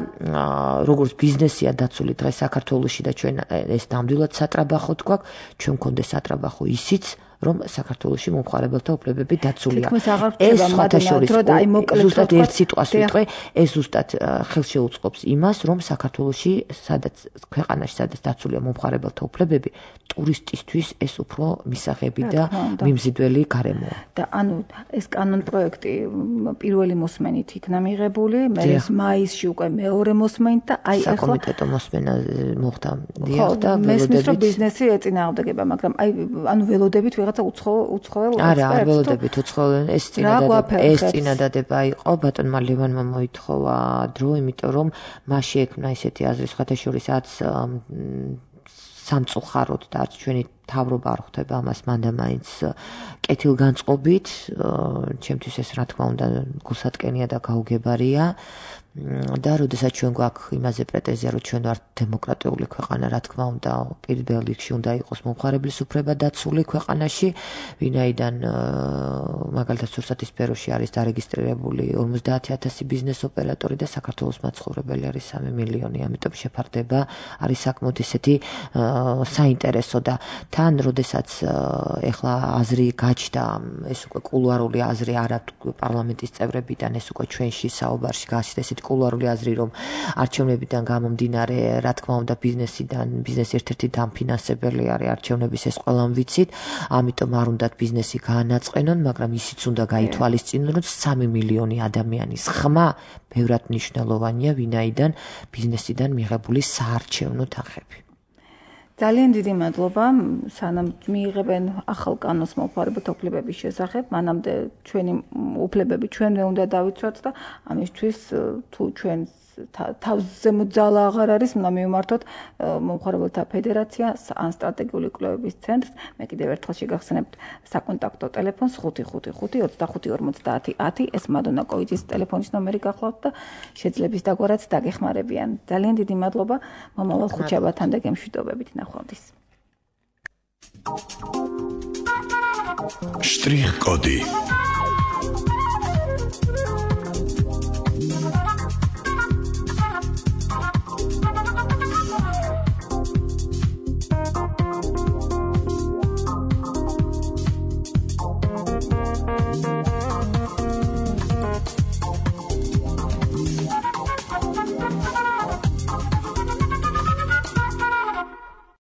როგორც ბიზნესია დაცული დღეს საქართველოში და ჩვენ ეს ნამდვილად სატრაბახოთ გვაქვს, ჩვენ მქონდეს სატრაბახო ისიც რომ საქართველოში მომხმარებელთა უფლებები დაცულია. ეს სხვათაშორის ზუსტად ერთ სიტყვას ვიტყვი, ეს ზუსტად ხელშეუწყობს იმას, რომ საქართველოში, სადაც ქვეყანაში, სადაც დაცულია მომხმარებელთა უფლებები, ტურისტისთვის ეს უფრო მისაღები და მიმზიდველი გარემოა. და ანუ ეს კანონ პროექტი პირველი მოსმენით იქნა მიღებული, მე მაისში უკვე მეორე მოსმენით და აი ახლა საკომიტეტო მოსმენა მოხდა. დიახ და მესმის რომ ბიზნესი ეწინააღმდეგება, მაგრამ აი ანუ ველოდებით ვიღაცა უცხოელ ექსპერტს. არა, არ ველოდებით უცხოელ ეს წინადადება ეს წინადადება იყო ბატონმა ლევანმა მოითხოვა დრო, იმიტომ რომ მას შეექმნა ესეთი აზრი სხვათაშორისაც სამწუხაროდ და არც ჩვენი თავრობა არ ხვდება ამას მანდა მაინც კეთილგანწყობით, ჩემთვის ეს რა თქმა უნდა გულსატკენია და გაუგებარია. და როდესაც ჩვენ გვაქვს იმაზე პრეტენზია, რომ ჩვენ ვართ დემოკრატიული ქვეყანა, რა თქმა უნდა, პირველ რიგში უნდა იყოს მომხმარებლის უფლება დაცული ქვეყანაში, ვინაიდან მაგალითად რუსეთის სფეროში არის დარეგისტრირებული ორმოცდაათი ათასი ბიზნეს ოპერატორი და საქართველოს მაცხოვრებელი არის სამი მილიონი, ამიტომ შეფარდება არის საკმაოდ ისეთი საინტერესო და თან როდესაც ეხლა აზრი გაჩნდა, ეს უკვე კულუარული აზრი არა პარლამენტის წევრებიდან, ეს უკვე ჩვენში საუბარში გაჩნდა ესეთი კულუარული აზრი, რომ არჩევნებიდან გამომდინარე, რა თქმა უნდა, ბიზნესიდან, ბიზნესი ერთ-ერთი დამფინანსებელი არის არჩევნების, ეს ყველამ ვიცით, ამიტომ არ უნდათ ბიზნესი გაანაწყენონ, მაგრამ ისიც უნდა გაითვალისწინონ, რომ სამი მილიონი ადამიანის ხმა ბევრად მნიშვნელოვანია, ვინაიდან ბიზნესიდან მიღებული საარჩევნო თანხები. ძალიან დიდი მადლობა, სანამ მიიღებენ ახალ კანონს მომხმარებელთა უფლებების შესახებ, მანამდე ჩვენი უფლებები ჩვენვე უნდა დავიცვათ და ამისთვის თუ ჩვენს თავზე მოძალა აღარ არის, უნდა მივმართოთ მომხმარებელთა ფედერაციას ან სტრატეგიული კვლევების ცენტრს. მე კიდევ ერთხელ შეგახსენებთ საკონტაქტო ტელეფონს ხუთი ხუთი ხუთი ოცდახუთი ორმოცდაათი ათი. ეს მადონა კოიძის ტელეფონის ნომერი გახლავთ და შეძლებს დაგვრაც დაგეხმარებიან. ძალიან დიდი მადლობა. მომავალ ხუთშაბათთან და გემშვიდობებით ნახვამდის. Штрих-коди.